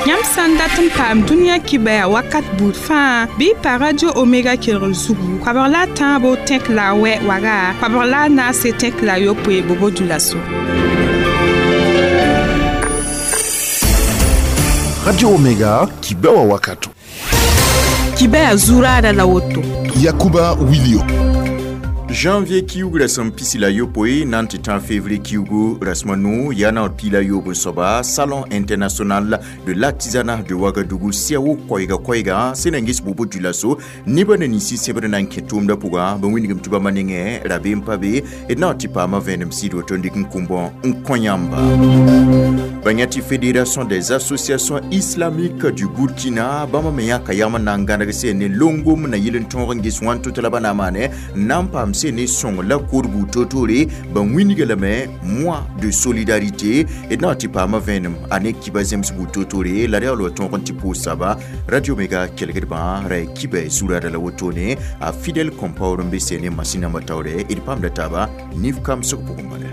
Yãmb sã n dat n paam dũniyã kibɛa wakat buud fãa bɩ y pa Radio Omega kelgr zugu koabg la a tãabo tẽk la a wɛ waga koabg la a naase tẽk la a yopoe Bobo-Dioulasso. Radio Omega, kibɛa wakato. Kibɛa zuraada la woto. Yakuba Wilio. Janvier kiugu rasẽm pisi la yopoe na n tɩ tã février kiugu rasẽm a nu yaa naoor piig la yoob n soaba Salon international de l'artisanat de Ouagadougou CIAO koɛɛga koɛɛga sẽn na n ges Bobo-Dioulasso nebã na ninsi sẽbd na n kẽ tʋʋmdã pʋga bã wilgem tɩ bãmba nengẽ rabeem pa be d na n tɩ paama vẽenem sɩd woto n dɩk n kũmbõ n kõ yãmba. Ba yã tɩ Fédération des associations islamiques du Burkina bãmba me yãka yam n na n gãneg sẽn ne longom na yɩl n tõog n ges wãn tʋ la ba na n maane n na n paam sẽn ne sõng la korbu totore ba wĩnga lame mois de solidarité d na n tɩ paama vẽenem a ne kiba zems bu totore la reool wa tõog n tɩ pʋʋs saba Radio Mega kelgdbã ra kiba zurada la wotone a Fidèle Compaoré n be sẽn ne masĩn nambã taoore d paamda taaba nif kamsg pʋgẽ bala.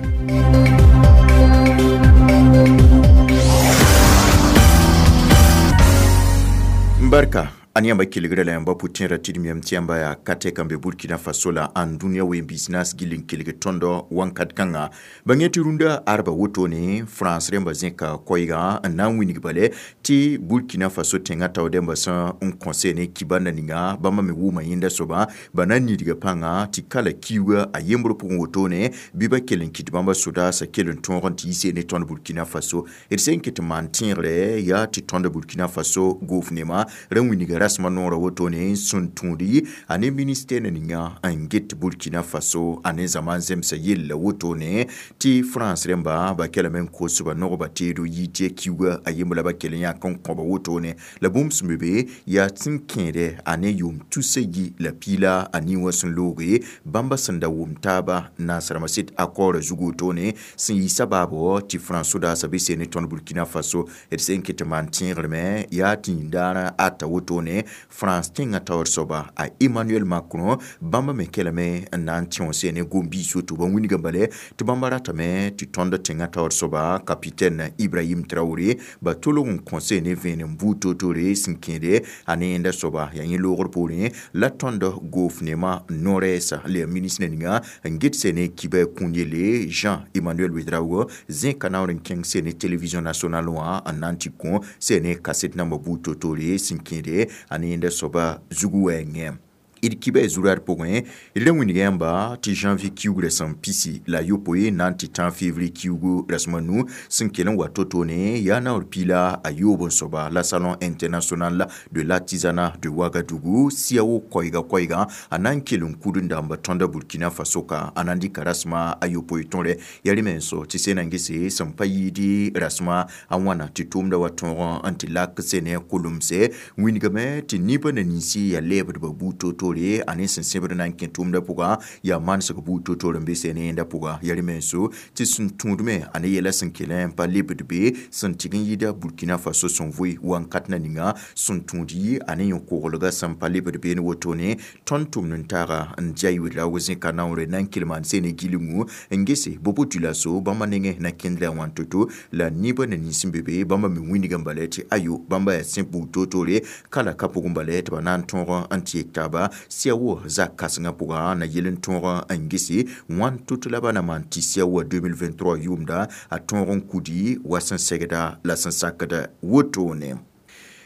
Barka an yãmba kelgrã la yãmba pʋ-tẽerã tɩ d miyame tɩ yãmba yaa ka tɛka n be Burkina Faso la ãn dũniyã ween-biis naas gill n kelg tõndo wãnkat kãnga ba yẽ tɩ rũndã arba wotone France rẽmba zẽka koɛɛgã n na n wilg bale tɩ Burkina Faso tẽngã tao dẽmba sẽn n kõ ne kibanda ninga bãmba me wʋʋma yẽnda soaba ba na n nidga pãnga tɩ kala kiuga a yembr pʋgẽ wotone bɩ ba kell n kɩt bãmba sodaasã kell n tõog n tɩ yi ne tõnd Burkina Faso d sẽn ket n maan tẽegre yaa tɩ tõnd Burkina Faso goofnema ra wilga rasma noorã wotone sẽn tũudi a ne ministɛr na ninga n get Burkina Faso a ne zaman zemsã yella wotone tɩ France rẽmba ba kelame n kosba nogba teedo yɩ tɩ kiuga a yembr la ba kell n yãk n kõba wotone la bũmb sẽn be be yaa sẽn kẽede a ne yʋʋm tusa yi la piila a nin wã sẽn looge bãmba sẽn da wʋm taaba naasrãmbã sɩd akɔɔrã zug wotone sẽn yɩ sabaabo tɩ France sodaasã be seen ne tõnd Burkina Faso d sẽn ket n maan tẽegrame yaa tɩ yĩndaarã ata wotone France tẽngã taoor soaba a Emmanuel Macron bãmba me kelame n na n tẽo ne gom-biis woto ba wilgã bale tɩ bãmba ratame tɩ tõnd tẽngã taoor soaba capitaine Ibrahim Traoré ba tolg n kõ ne vẽenem buud toor-toore sẽn kẽede a ne yẽnda soaba yaa yẽ loogr poorẽ la tõnd goofnemã no-rɛɛsa la yaa ministre ninga n get sẽn ne kiba kũun yelle Jean-Emmanuel Ouedraogo zẽka naoor n kẽng sẽn ne télévision nationale wã n na n tɩ kõ sẽn ne kaset nambã buud toor-toore sẽn kẽede a ne yẽnda soaba zugu wɛɛngẽ. D kiba zurad pʋgẽ d ra wilg yãmba tɩ janvier kiugu rasem pisi la yopoe na n tɩ tã février kiugu rasem a nu sẽn kell n wa to-tone yaa naoor piila a yoob n soaba la Salon international de l'artisanat de Ouagadougou CIAO koɛɛga koɛɛga a na n kell n kud n dãmba tõnda Burkina Faso ka a na n dɩka rasema a yopoe tõre yaa rẽ menso tɩ sẽn na n gese sẽn pa yɩɩd rasema a wãna tɩ tʋʋmda wa tõog n tɩ lak sẽn ne kolmse wilgame tɩ nebã na ninsi yaa lɛɛbdbã buud to-toore a ne sẽn sẽbd na n kẽ tʋʋmdã pʋga yaa manesg buud to-toor n be sẽn ne yẽnda pʋga yaa rẽ menso tɩ sẽn tũudme a ne yɛla sẽn kell n pa lebd be sẽn tɩg n yɩɩda Burkina Faso sẽn vʋɩ wãnkat na ninga sẽn tũud yɩ a ne yõ-koglgã sẽn pa lebd beene wotone tõnd tʋmd n taaga n dia Ouedraogo zẽka naoore na n kell maan sẽn ne gilngu n gese Bobo-Dioulasso bãmba nengẽ na kẽndra wãn to-to la nebã na nins n be be bãmba me wilg n bala tɩ ayo bãmba yaa sẽ buud to-toore kala ka pʋgẽ bala tɩ ba na n tõog n tɩ yek taaba CIAO zak kãsengã pʋgã na yel n tõog n gese wãn to-to la ba na maan tɩ CIAO 2023 yʋʋmda a tõog n kudi wa sẽn segda la sẽn sakda wotone.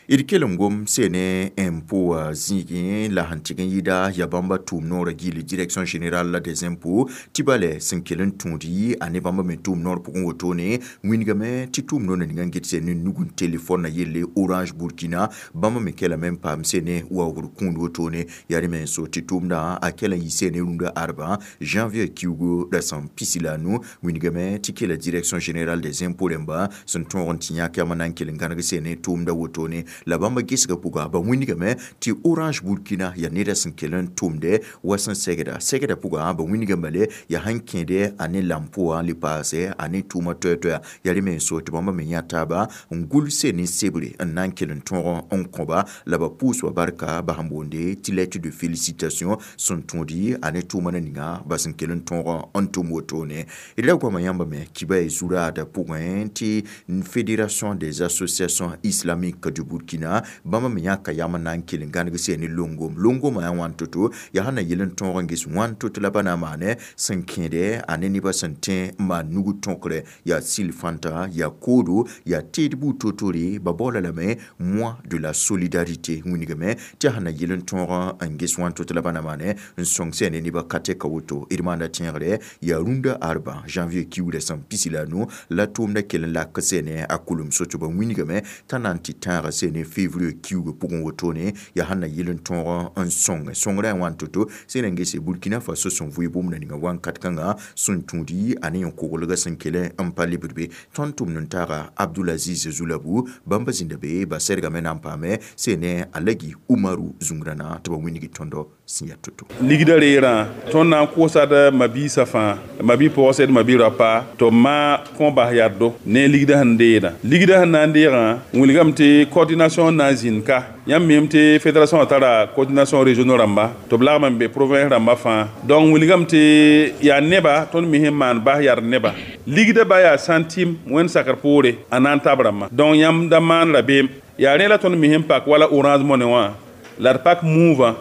D kell n gom sẽn ne impôt zĩigẽ la sẽn tɩg n yɩɩda yaa bãmba tʋʋm noorã gilli Direction générale des impôts tɩ bale sẽn kell n tũud yɩ a ne bãmba me tʋʋm noor pʋgẽ wotone wilgame tɩ tʋʋm noor ninga n get sẽn ne nug n telefɔn na yelle Orange Burkina bãmba me kelame n paam sẽn ne waoogr kũud wotone yaa rẽ menso tɩ tʋʋmdã a kell n yɩ sẽn ne rũndã arba janvier kiugu rasem pisi la a nu wilgame tɩ kela Direction générale des impôts rẽmba sẽn tõog n tɩ yãk yam n na n kell n gãneg sẽn ne tʋʋmdã wotone. La bãmba gesgã pʋga ba wĩnigame tɩ Orange Burkina yaa neda sẽn kell n tʋmde wa sẽn segda segda pʋga ba wĩnigame le yaa sẽn kẽede a ne lampo wã le paase a ne tʋʋma toɛ-toɛa yaa rẽ me n so tɩ bãmba me yã taaba n gʋlse ne sebre n na n kell n tõog n kõba la ba pʋʋsba barka ba sẽn boonde tɩ lettre de félicitation sẽn tõodi a ne tʋʋma na ninga ba sẽn kell n tõog n tʋm wotone. D ra goama yãmba me kiba y zuraada pʋgẽ tɩ Fédération des associations islamiques du Burkina bãmba me yãka yam n na n kell n gãneg sɛ ne longom longomã yaa wãn to-to yaa sẽn na yel n tõog n ges wãn to-to la ba na n maane sẽn kẽede a ne nebã sẽn tẽ n maan nug tõkre yaa sil fãnta yaa koodo yaa teed buud to-tore ba baoola lame mois de la solidarité wĩnigame tɩ sẽn na yel n tõog n ges wãn to-to la ba na maane n sõng sɛ ne nebã ka tɛka woto. D maanda tẽegre yaa rũndã arba janvier kiuudã sẽn pisi la nu la tʋʋmdã kell n lak sɛ ne a kulum so tɩ ba wĩnigame t'a na n tɩ tãaga sɛ ne février kiuugã pʋgẽ wotone yaa sẽn na yel n tõog n sõng sõngrã yaa wãn to-to sẽn na n gese Burkina Faso sẽn vʋɩ bũmb ninga wãnkat kãnga sẽn tũudi a ne yẽn-koglgã sẽn kell n pa lebd be. Tõnd tʋmd n taaga Abdulaziz Zulabu bãmba zĩnda be ba sɛdgame na n paame sẽ ne Alagi Umaru zũngrãna tɩ ba wĩnigi tõndo sẽn yaa to-to. Ligdã reerã tõnd na n kʋʋsad mabiisã fãa mabi-pɔgse d mabi-rapa tɩ b maa kõ bas yaddo ne ligdã sẽn deedã ligdã sẽn na n deegã wilgame tɩ coordination na n zĩnd ka yãmb miime tɩ fédération tara coordination régionaux rãmba tɩ b lagm n be province rãmba fãa. Donc wilgame tɩ yaa neba tõnd mi sẽn maan bas yard neba ligdã ba yaa centime wẽnd sakr poore a na n tab rãmbã. Donc yãmb da maan rabeem yaa rẽ la tõnd mi sẽn pak wala Orange Money wã la d pak Moov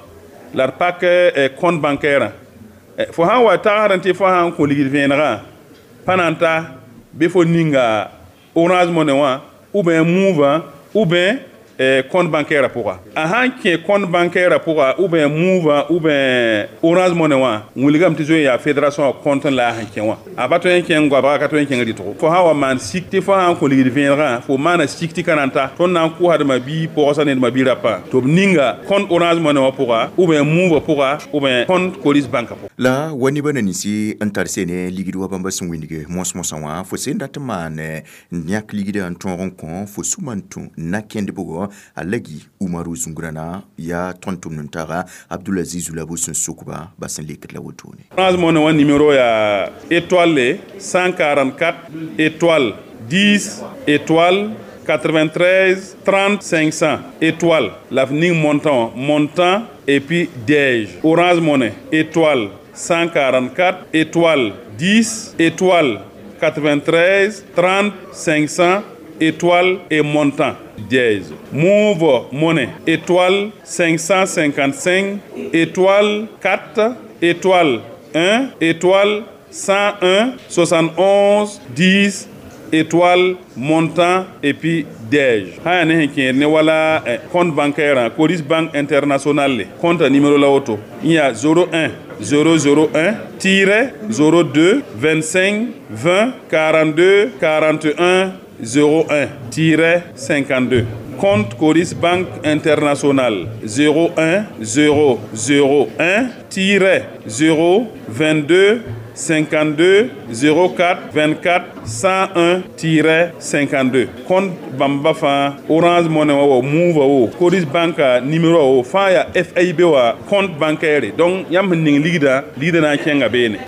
la d pak compte bancaire fo sãn wa tagsd tɩ fo sã n kõ ligd vẽenegã pa na n ta bɩ fo ninga Orange Money wã ou bien Moov ou bien compte bancaire pʋga. A sãn kẽ compte bancaire pʋga ou bien Moov ou bien Orange Money wã wilgame tɩ zoe yaa fédération compte la a sẽn kẽ wã a pa tõe n kẽng goabga ka tõe n kẽng rɩtgo. Fo sã wa maan sik tɩ fo sã n kõ ligd vẽenegã fo maana sik tɩ ka na n ta tõnd na n kʋʋsdma bi-pɔgsa ne d ma-bi-rapã tɩ b ninga compte Orange Money wã pʋga ou bien Moov pʋga ou bien compte Coris Bank pʋga. La wa nebã na ninsi n tar sene ligd wa bãmba sẽn wĩnige mos-mosã wã fo sẽn dat n maan n yãk ligdã n tõog n kõ fo sũma n tũ na kẽnd bʋgɔ Alagi Umaru zũngrãna yaa tõnd tʋmd n taaga Abdulaziz Zulabu sẽn sokba ba sẽn lekd la wotone. Orange Money wã numéro yaa étoile 144 étoile 10 étoile 93 30 500 étoile la f ning montant montant et puis dièse. Orange Money étoile 144 étoile 10 étoile 93 30 500 étoile et montant dièse. Moov Money étoile 555 étoile 4 étoile 1 étoile 101 71 10 étoile montant et puis dièse. Sã yaa ne sẽn kẽed ne wala compte bancaire Coris Bank International compte numéro la woto n yaa 01 001 tiret 02 25 20 42 41 01 tiret 52. Compte Coris Bank International 01 001 tiret 0 22 52 04 24 101 tiret 52. Compte bãmba fãa Orange Money wã wa Moov wo Coris Bank numéro wo fãa yaa FIB wa compte bancaire. Donc yãmb sẽn ning ligdã ligdã na n kẽnga beene.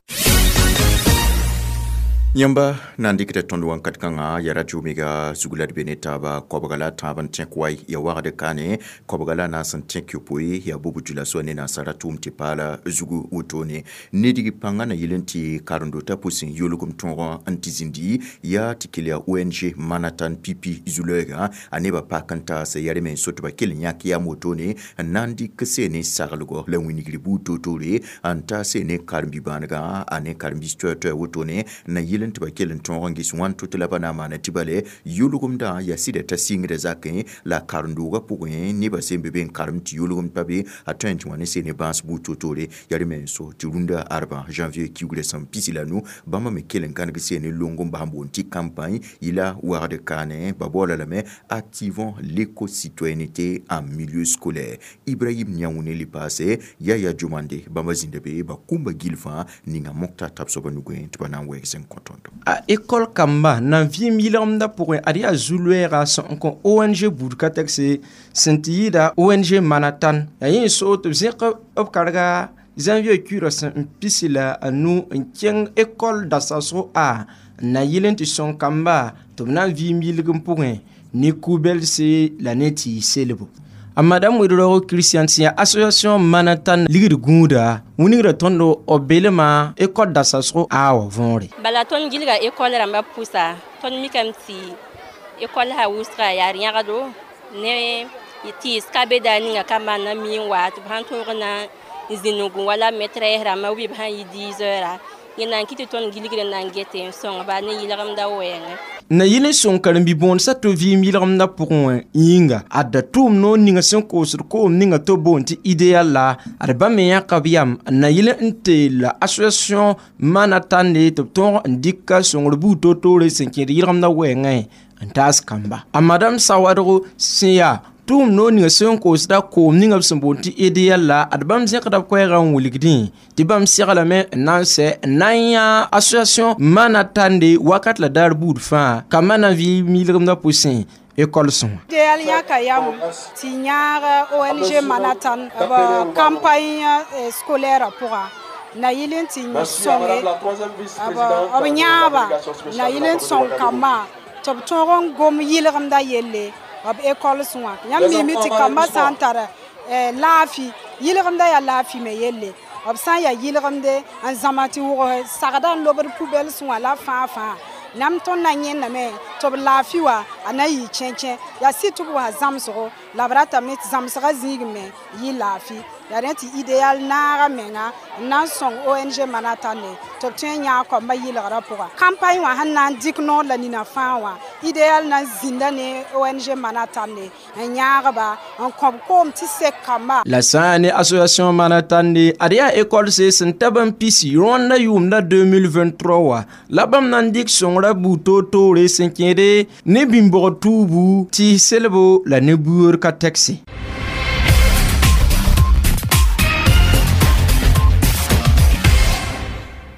Yãmba na n dɩkda tõnd wãnkat kãngã yaa radio Omega zug la d be ne taaba koabga la tãab n tẽk wa ya wagd kaane koabga la naas n tẽk yopoe yaa bubu dula soa ne nansara tʋʋm tɩ paala zugu wotone nedg pãngã na yel n tɩ karen-dotã pʋsẽ yolgem tõog n tɩ zĩndi yaa tɩ kell yaa ONG Manatan Pipi zu-lɛɛgã a nebã pak n taas yaa rẽ me n so tɩ ba kell n yãk yam wotone n na n dɩk see ne saglgɔ la wĩnigr buud toor-toore n taas ne karen-bi-bãanegã a ne karen-biis toɛ-toɛ wotone na yel n tɩ ba kell n tõog n ges wãn to-to la ba na n maana tɩ bale yʋlgemdã yaa sɩda t'a sɩngda zakẽ la karen-doogã pʋgẽ nebã sẽn be be n karem tɩ yʋlgem pa be a tõe n tɩ wã ne see ne bãas buud toor-toore yaa rẽ me n so tɩ rũndã arbã janvier kiugrã sẽn pisi la nu bãmba me kell n gãneg see ne long n bas n boond tɩ campagne yɩla wagd kaane ba baoola lame activons l'éco-citoyenneté en milieu scolaire. Ibrahim Niaoune le paase Yaya Jomande bãmba zĩnda be ba kũmba gil fãa ninga mokta tab soaba nugẽ tɩ ba na n wɛɛg sẽn kõto. tõndo. A école kamba nan vɩɩm yɩlgemdã pʋgẽ ad yaa zu-loɛɛga sẽn kõ ONG buud ka tɛkse sẽn tɩ yɩɩda ONG Manatan yaa yẽ n soog tɩ b zẽk b karga janvier kuirã sẽn n pisi la a nu n kẽng école dasasgo a n na yɩl n tɩ sõng kamba tɩ b na n vɩɩm yɩlgem pʋgẽ ne ku-belse la ne tɩ selbo. A madame Ouedraogo Christian sẽn yaa association Manatan ligd gũuda wĩngrã tõndo b belema école dasasgo a wã võore. Bala tõnd gilga école rãmbã pʋsa tõnd mikame tɩ école sã wʋsga yaa yãgdo ne tɩɩs ka be daa ninga ka maana mi n wa tɩ b sãn tõog na n zĩnug wala maîtresse rãmbã b sãn yɩ 10 heures yẽ na n kɩ tɩ tõnd gilgr n na n gete n sõngba ne yɩlgemdã wɛɛngẽ. Na yɩl n sõng karen-bi-bõonesã tɩ vɩɩm yɩlgemdã pʋgẽ wã yĩnga ad da tʋʋm noor ninga sẽn koosd koom ninga tɩ b boond tɩ idéal la ad bãmb me yãka b yam n na yɩl n teel association Manatande tɩ b tõog n dɩka sõngr buud toor-toore sẽn kẽed yɩlgemdã wɛɛngẽ n taas kamba. A madame Sawadgo sẽn yaa tʋʋm noor ninga sẽn koosda koom ninga b sẽn boond tɩ idéal la ad bãmb zẽkda b koɛɛgã n wilgdẽ tɩ bãmb seglame n na n sɛ n na n yã association Manatande wakat la daar buud fãa kambã na n vɩɩm yɩlgemdã pʋsẽ école sõa. Idéal yãka yam tɩ yãag ONG Manatan b campagne scolaire pʋga na yɩl n tɩ sõnge b yãaba na yɩl n sõng kambã tɩ b tõog n gom yɩlgemdã yelle b école sõa. Yãmb mime tɩ kambã sã n tar laafɩ yɩlgemdã yaa laafɩ me yelle b sã n yaa yɩlgemde n zãma tɩ wʋgs sagda n lobd poubelle sõa la fãa fãa nam tõnd na yẽndame tɩ b laafɩ wa a na yɩ kẽkẽ yaa sɩd tɩ b wa zãmsgo la b ratame tɩ zãmsgã zĩig me yɩ laafɩ yaa rẽ tɩ idéal naaga menga n na n sõng ONG Manatande tɩ b tõe n yãag kambã yɩlgrã pʋga. Campagne wã sẽn na n dɩk noor la nina fãa wã idéal na n zĩnda ne ONG Manatande n yãagba n kõb koom tɩ sek kamba. La sã n ne association Manatande ad yaa école se sẽn tab n pisi rõanda yʋʋmda 2023 wã la bãmb na n dɩk sõngrã buud toor-toore sẽn kẽede ne bĩmbg tuubu tɩ selbo la ne buoor ka tɛkse.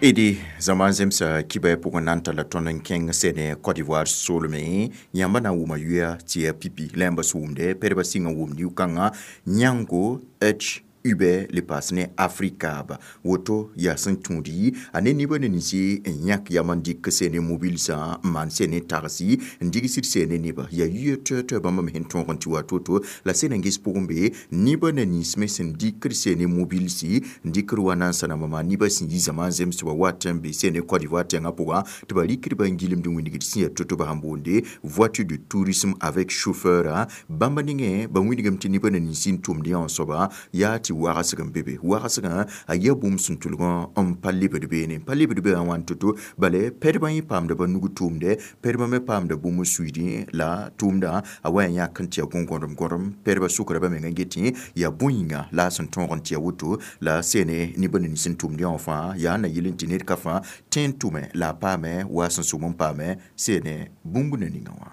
Edi zaman zemsa kibɛ pʋgẽ na n talla tõnd n kẽng sene Côte d'Ivoire soolmẽ yãmba na n wʋma yʋa tɩ yaa pipi la yãmba sẽn wʋmde pedbã sɩng n wʋmd yʋ-kãngã yãngo h Uber le paas ne Africab woto yaa sẽn tũudi a ne nibã ne ninsi n yãk yam n dɩk sene mobilsã n maan sene tagsi n digsd sene nebã yaa yʋa toɛ-toɛ bãmb me sẽn tõog n tɩ wa to-to la sẽn n ges pʋgẽ be nibã ne nins me sẽn dɩkd sene mobilsi n dɩkd wa nansã nambã maa nibã sẽn yi zãma n zemsba wat n be sene Côte d'Ivoire tẽngã pʋgã tɩ ba rɩkdba n gilmd wĩnigd sẽn yaa to-to ba sẽn boonde voiture de tourisme avec chauffeur bãmba nengẽ ba wĩnigame tɩ nibã ne ninsi n tʋmd yã wã soaba yaa tɩ wagsg n be be wagsgã a yaa bũmb sẽn tʋlgã n pa lebd beene n pa lebd be wã wãn to-to bala pɛdbã yẽ paamda ba nug tʋʋmdɛ pɛdbã me paamda bũmb n suiidẽ la tʋʋmdã a wa n yãk n tɩ yaa gõ-gõdem gõdem pɛdbã sʋkra ba menga n getẽ yaa bõe-yĩnga la a sẽn tõog n tɩ yaa woto la sene nibã ne nins n tʋmd yã wã fãa yaa na yɩl n tɩ ned ka fãa tẽ n tʋme la a paame wa a sẽn sʋm n paame sene bũmb na ninga wã.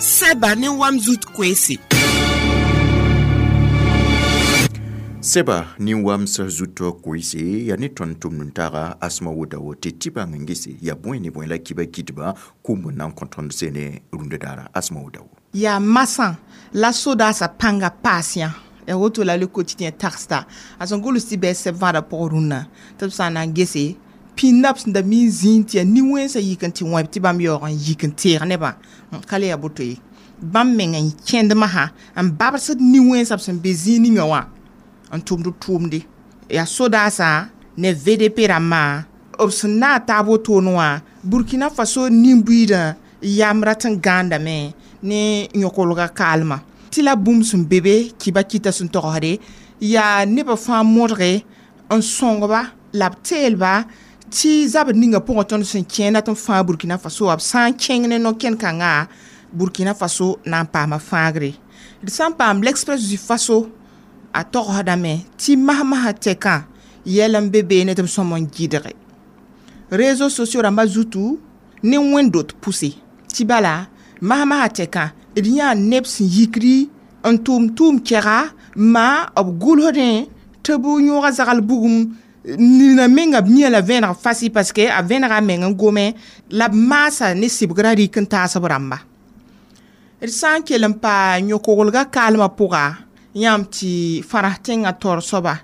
Sɛba ne wam zut koeese. Sɛba nin-wams zutɔ koeese yaa ne tõnd tʋmd n taaga asma wodawo tɩ tɩ bãng n gese yaa bõe ne bõe la kiba kɩtba kũmb n na n kõ tõnd sene rũndã daara asma wodawo. Yaa masã la sodaasã pãnga paas yã ya woto la le quotidien tagsda a sẽn gʋls tɩ bɩ sɛb vãadã pʋgẽ rũnnã tɩ b sã n na n gese pĩndã b sẽn da mi n zĩig tɩ yaa nin-wẽnsã yik n tɩ wẽb tɩ bãmb yaoog n yik n teeg nebã ka le yaa boto ye bãmb meng n kẽnd masã n babsd nin-wẽnsã b sẽn be zĩig ninga wã n tʋmd b tʋʋmde yaa sodaasã ne VDP rãmbã b sẽn na n taab wotone wã Burkina Faso nin-buiidã yam rat n gãandame ne yõkolga kaalmã tɩ la bũmb sẽn be be kɩba kɩta sẽn togsde yaa nebã fãa modge n sõngba la b teelba tɩ zabr ninga pʋgẽ tõnd sẽn kẽenda tɩ n fãag Burkina Faso wã b sã n kẽng ne no-kẽn-kãnga Burkina Faso na n paama fãagre d sã n paam l'Express du Faso a togsdame tɩ masmasã tɛkã yɛl n be beene tɩ b sõm n gɩdge réseaux sociaux rãmbã zutu ne wẽnd-dot pʋse tɩ bala masmasã tɛkã d yãa neb sẽn yikri n tʋʋm tʋʋm kɛga ma b gʋlsdẽ tɩ b yõoga zagl bugum Nina menga b yã la vẽeneg fasi parce que a vẽnega a meng n gome la b maasa ne sɩbgrã rɩk n taas b rãmba. D sã n kell n pa yõ-koglgã kaalmã pʋga, yãmb tɩ fãras tẽngã taoor soaba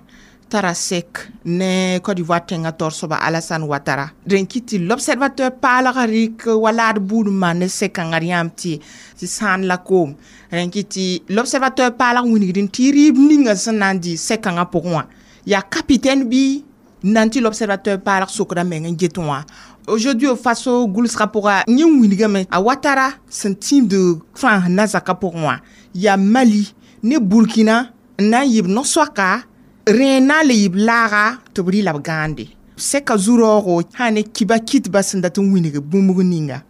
tara sek ne Côte d'Ivoire tẽngã taoor soaba Alassane Ouattara. Rẽn kɩt tɩ l'Observateur paalgã rɩk wa laad buud n maan ne sek-kãngã d yãmb tɩ sãan la koom. Rẽn kɩt tɩ l'Observateur paalg wilgdẽ tɩ rɩɩb ninga sẽn na n dɩ sek-kãngã pʋgẽ wã yaa capitaine bɩ n na n tɩ l'Observateur paalg sokda meng n get wã. Aujourd'hui au Faso gʋlsgã pʋga, yẽ wilgame a Ouattara sẽn tĩibd Frãns na-zakã pʋgẽ wã yaa Mali ne Burkina n na n yɩ b no-soaka rẽ na n le yɩ b laaga tɩ b rɩ la b gãande sɛka zu-raoogo sã ne kiba kitba sẽn dat n wilg bũmb ninga.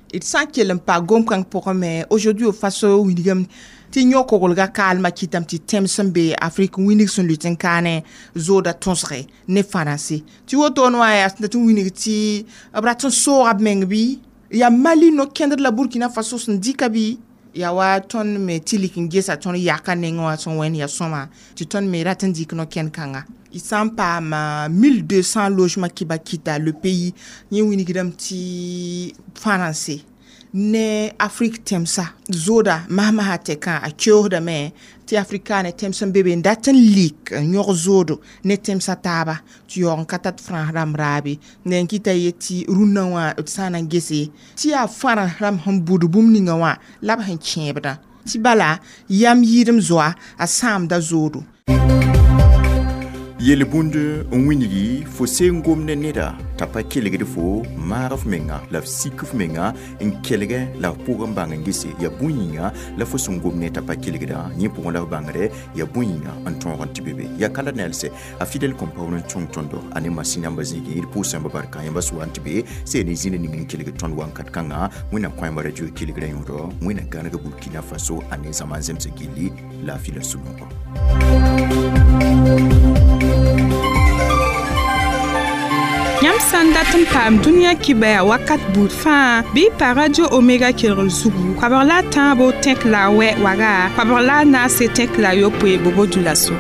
D sã n kell n pa gom-kãng pʋgẽ me, aujourd'hui au Faso wilgame tɩ yõ-koglgã kaalmã kɩtame tɩ tẽm sẽn be Afrik wilg sẽn lʋɩt n kaane zooda tõsge ne fãrãnse tɩ wotone wã yaa sẽn dat n wilg tɩ b rat n sooga b meng bɩ yaa Mali no-kẽndr la Burkina Faso sẽn dɩka bɩ yaa wa tõnd me tɩ lik n gesa tõnd yaka nengẽ wã sẽn wẽnd yaa sõma tɩ tõnd me rat n dɩk no-kẽnd kãnga. Y sã n paam 1200 logement kiba kita le pays, yẽ wilgdame tɩ fãrãnse ne Afrik tẽmsa zooda masmasã tɛkã a keoosdame tɩ afrikaanẽ tẽms n be be n dat n lik n yõg zoodo ne tẽmsã taaba tɩ yaoog n ka tat frãns rãmb raabe. N kɩta ye tɩ rũnnã wã d sã n na n gese tɩ yaa fãrãs rãmb sẽn bʋd bũmb ninga wã la b sẽn kẽebdã tɩ bala yam yɩɩdem zoa a sãamda zoodo. Yel-bũnd n wilgi fo seen gom ne neda t'a pa kelgd fo maag f menga la f sik f menga n kelgɛ la f pʋg n bãng n gese yaa bũn yĩnga la fo sẽn gom ne t'a pa kelgdã yẽ pʋgẽ la f bãngdɛ yaa bũn yĩnga n tõog n tɩ be be yaa kala nelse a Fidèle Compaoré n sõng tõndo a ne masin yãmba zĩigẽ d pʋʋs yãmba barka yãmba soa n tɩ be seen y zĩnd ning n kelg tõnd wakat kãngã. Wẽnnaam kõ yãmba radio kelgrã yõodɔ Wẽnnaam gãneg Burkina Faso a ne zãma n zemsg gilli laafɩ la sũ-noogo. Yãmb sã n dat n paam dũniyã kibaya wakat buud fãa, bɩ y pa Radio Omega kelgr zugu koabg la a tãabo tẽk la a wɛ waga koabg la a naase tẽk la a yopoe bobo dula-so.